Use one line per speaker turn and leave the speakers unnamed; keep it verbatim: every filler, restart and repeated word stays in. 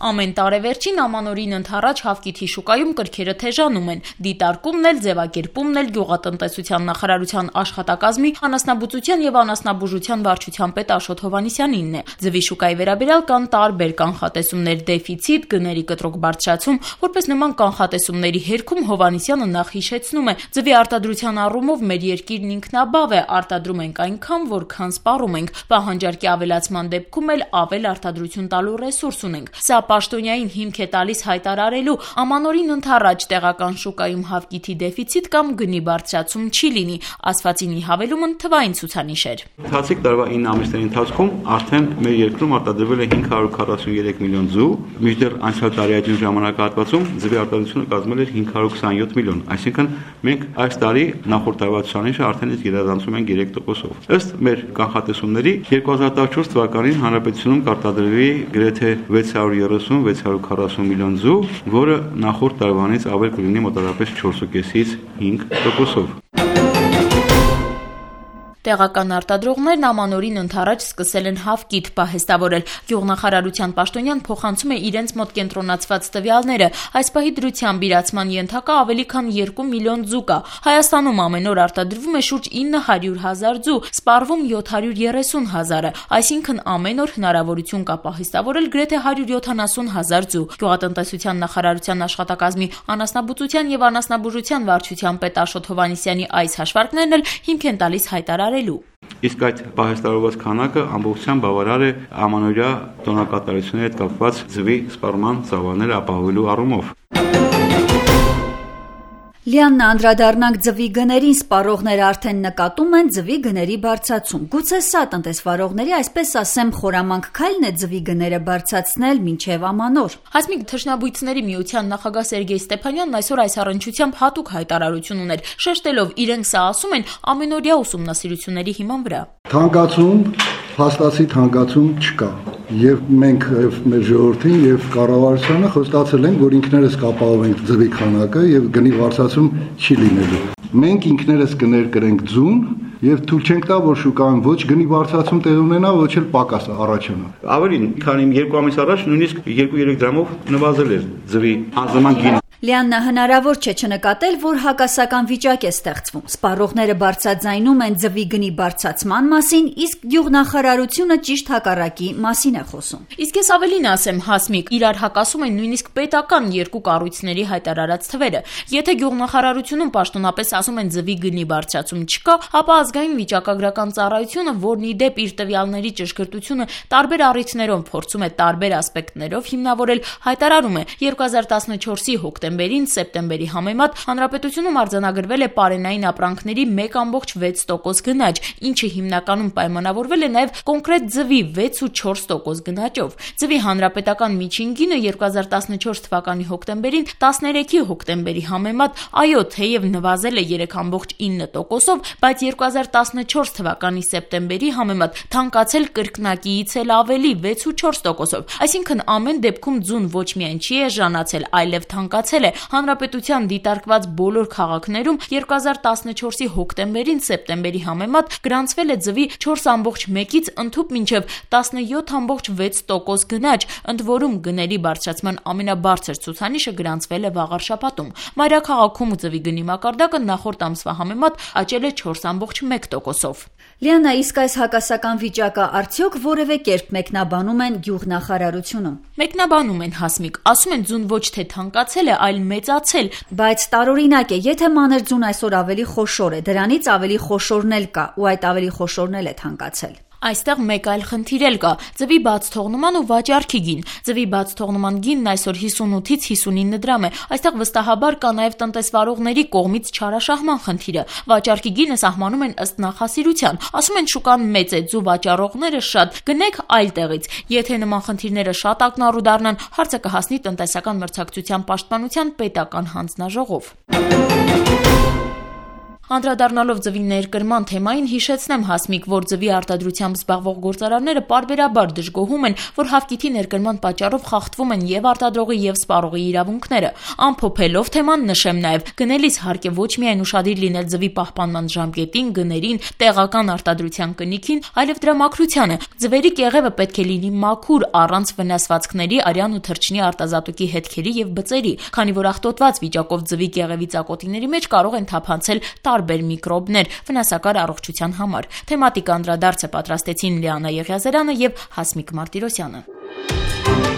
Ամեն տարեվերջին ամանորին ընդառաջ հավկիթի շուկայում կրքերը թեժանում են։ Դիտարկումն էլ, ձևակերպումն էլ գյուղատնտեսության նախարարության աշխատակազմի անասնաբուծության եւ անասնաբուժության վարչության պետ Աշոտ Հովհաննիսյանինն է։ Ձվի շուկայի վերաբերյալ կան տարբեր կանխատեսումներ՝ դեֆիցիտ, գների կտրուկ բարձրացում։ Որպես նման կանխատեսումների հերքում Հովհաննիսյանը նախ հիշեցնում է. ձվի արտադրության առումով մեր երկիրն ինքնաբավ է, արտադրում ենք այնքան, որքան սպառում ենք։ Պահանջարկի ավելացման դեպքում էլ ավել արտադրություն տալու ռեսուրս ունենք։ Սա պաշտոնյային հիմք է տալիս հայտարարելու ամանորին ընդառաջ տեղական շուկայում հավկիթի դեֆիցիտ կամ գնի բարձրացում չի լինի, ասվածինի հավելումն թվային ցուցանիշ էր։
Ընթացիկ տարվա ինը ամիսների ընթացքում արդեն մեր երկրում արտադրվել է հինգ հարյուր քառասուններեք միլիոն ձու, մինչդեռ անցյալ տարեային ժամանակահատվածում ձվի արտադրությունը կազմել էր հինգ հարյուր քսանյոթ միլիոն, այսինքն մենք այս տարի նախորդ տարվա ցուցանիշը արդեն իսկ գերազանցում ենք երեք տոկոսով։ Ըստ մեր կանխատեսումների երկու հազար տասնչորս թվականին հանրապետությունում կարտադրվի գրեթե վեց հարյուր երեսուն վեց հարյուր քառասուն միլիոն ձու, որը նախորդ տարվանից ավել կլինի մոտավորապես չորսից հինգ տոկոսով։
Տեղական արտադրողներն ամանորին ընդառաջ սկսել են հավկիթ պահեստավորել։ Գյուղնախարարության պաշտոնյան փոխանցում է իրենց մոտ կենտրոնացված տվյալները։ Այս պահի դրությամբ իրացման ենթակա ավելի քան երկու միլիոն ձու կա։ Հայաստանում ամեն օր արտադրվում է շուրջ ինը հարյուր հազար ձու, սպառվում յոթ հարյուր երեսուն հազարը, այսինքն ամեն օր հնարավորություն կա պահեստավորել գրեթե հարյուր յոթանասուն հազար ձու։ Գյուղատնտեսության նախարարության աշխատակազմի անասնաբուծության եւ անասնաբուժության վարչության պետ Աշոտ Հովհաննիսյանի այս հաշվարկներն էլ հիմք են տալիս հայտարարել։
Իսկ այդ պահեստավորված քանակը ամբողջությամբ բավարար է ամանորյա տոնակատարությունների հետ կապված ձվի սպառման ծավալները ապահովելու առումով։
Լիաննա, անդրադառնանք ձվի գներին, սպառողները արդեն նկատում են ձվի գների բարձրացում։ Գուցե սա տնտեսվարողների, այսպես ասեմ, խորամանկ քայլն է ձվի գները բարձրացնել մինչև ամանոր։
Հասմիկ, թռչնաբույսների միության նախագահ Սերգեյ Ստեփանյանն այսօր այս առնչությամբ հատուկ հայտարարություն ուներ, շեշտելով իրենք սա ասում են ամենօրյա ուսումնասիրությունների հիման վրա։
Թանկացում, փաստացի թանկացում չկա։ Եվ մենք եւ մեր ժողովրդին եւ կառավարությանը խոստացել ենք, որ ինքներս կապահովենք ձվի քանակը եւ գնի բարձրացում չի լինելու։ Մենք ինքներս կներկրենք ձուն եւ թույլ չենք տա, որ շուկայում ոչ գնի բարձրացում տեղ ունենա, ոչ էլ պակաս առաջանա։
Ավելին, քանի երկու ամիս առաջ նույնիսկ երկու-երեք դրամով նվազել էր ձվի անձնական գինը։
Լիաննա, հնարավոր չէ չնկատել, որ հակասական վիճակ է ստեղծվում։ Սպառողները բարձրաձայնում են ձվի գնի բարձրացման մասին, իսկ գյուղնախարարությունը ճիշտ հակառակի մասին է խոսում։
Իսկ ես ավելին ասեմ, Հասմիկ, իրար հակասում են նույնիսկ պետական երկու կառույցների հայտարարած թվերը։ Եթե գյուղնախարարությունում պաշտոնապես ասում են ձվի գնի բարձրացում չկա, ապա ազգային վիճակագրական ծառայությունը, որն ի դեպ իր տվյալների ճշգրտությունը տարբեր առիթներով փորձում է տարբեր ասպեկտներով հիմնավորել, հայտարարում է երկու հազար տասնչորսի հոկտեմբերին սեպտեմբերի համեմատ հանրապետությունում արձանագրվել է պարենային ապրանքների մեկ ամբողջ վեց տոկոս գնաճ, ինչը հիմնականում պայմանավորվել է նաև կոնկրետ ձվի վեց ու չորս տոկոս գնաճով։ Ձվի հանրապետական միջին գինը երկու հազար տասնչորս թվականի հոկտեմբերին տասներեքի հոկտեմբերի համեմատ այո, թեև նվազել է երեք ամբողջ ինը տոկոսով, բայց երկու հազար տասնչորս թվականի սեպտեմբերի համեմատ թանկացել կրկնակիից էլ ավելի վեց ու չորս տոկոսով։ Այսինքն ամեն դեպքում ձուն ոչ միայն չի էժանացել, այլև թանկացել է։ Հանրապետության դիտարկված բոլոր քաղաքներում երկու հազար տասնչորսի հոկտեմբերին սեպտեմբերի համեմատ գրանցվել է ձվի չորս ամբողջ մեկից ընդհուպ մինչև տասնյոթ ամբողջ վեց տոկոս գնաճ, ընդ որում գների բարձրացման ամենաբարձր ցուցանիշը գրանցվել է վաղ շաբաթում։ Մայրաքաղաքում ձվի գնի մակարդակը նախորդ ամսվա համեմատ աճել է չորս ամբողջ մեկ տոկոսով։
Լիաննա, իսկ այս հակասական վիճակը արդյոք որևէ կերպ մեկնաբանում են գյուղնախարարությունում։
Մեկնաբանում են, Հասմիկ, ասում են ձուն ոչ թե թանկացել է, այլ մեծացել,
բայց տարօրինակ է, եթե մանր ձուն այսօր ավելի խոշոր է, դրանից ավելի խոշորն էլ կա, ու այդ ավելի խոշորն էլ է թանկացել։
Այստեղ մեկ այլ խնդիր էլ կա՝ ձվի բաց թողնման ու վաճառքի գին։ Ձվի բաց թողնման գինն այսօր հիսունութից հիսունինը դրամ է։ Այստեղ վստահաբար կա նաև տնտեսվարողների կողմից չարաշահման խնդիրը։ Վաճառքի գինը սահմանում են ըստ նախասիրության։ Ասում են շուկան մեծ է, ձու վաճառողները շատ, գնեք այլ տեղից։ Եթե նման խնդիրները շատ ակնառու դառնան, հարցը կհասնի տնտեսական մրցակցության պաշտպանության պետական հանձնաժողով։ Անդրադառնալով ձվի ներկրման թեմային, հիշեցնեմ Հասմիկ, որ ձվի արտադրությամբ զբաղվող գործարանները պարբերաբար դժգոհում են, որ հավկիթի ներկրման պատճառով խախտվում են եւ արտադրողի եւ սպառողի իրավունքները։ Ամփոփելով թեման նշեմ նաեւ, գնելիս հարկ է ոչ միայն ուշադիր լինել ձվի պահպանման ժամկետին, գներին, տեղական արտադրության կնիքին, այլև դրա մաքրությանը։ Ձվերի կեղևը պետք է լինի մաքուր, առանց վնասվածքների, արյան ու թռչնի արտազատուկի հետքերի եւ բծերի, քանի որ աղտոտված վիճակով ձվի կեղևի ծակոտիների մեջ կարող են թափանցել տարբեր միկրոբներ վնասակար առողջության համար։ Թեմատիկ անդրադարձը պատրաստեցին Լիանա Եղիազարյանը եւ Հասմիկ Մարտիրոսյանը։